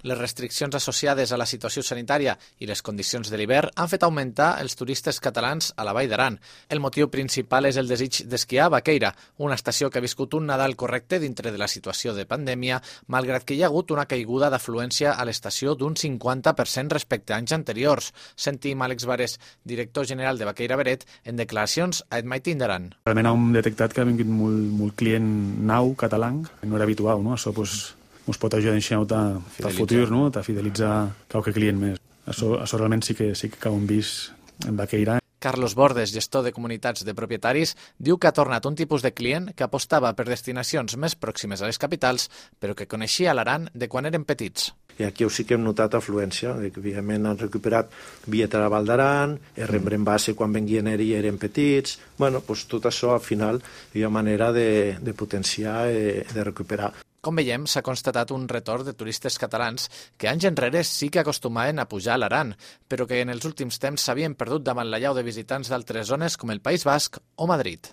Les restriccions associades a la situació sanitària i les condicions de l'hivern han fet augmentar els turistes catalans a la Vall d'Aran. El motiu principal és el desig d'esquiar a Baqueira, una estació que ha viscut un Nadal correcte dintre de la situació de pandèmia, malgrat que hi ha hagut una caiguda d'afluència a l'estació d'un 50% respecte a anys anteriors. Sentim Àlex Vares, director general de Baqueira Beret, en declaracions a Et Maitin d'Aran. Realment hem detectat que ha vingut molt client nou català, no era habitual, no? Això ens pot ajudar a futur, no? A fidelitzar qualque client més. Això realment sí que hem vist en Baqueira. Carlos Bordes, gestor de comunitats de propietaris, diu que ha tornat un tipus de client que apostava per destinacions més pròximes a les capitals, però que coneixia l'Aran de quan eren petits. I aquí sí que hem notat afluència, que evidentment han recuperat Vieta a la Val d'Aran, Rembren base quan venien eren petits. Bueno, doncs tot això al final hi ha manera de potenciar i de recuperar. Com veiem, s'ha constatat un retorn de turistes catalans que anys enrere sí que acostumaven a pujar a l'Aran, però que en els últims temps s'havien perdut davant l'allau de visitants d'altres zones com el País Basc o Madrid.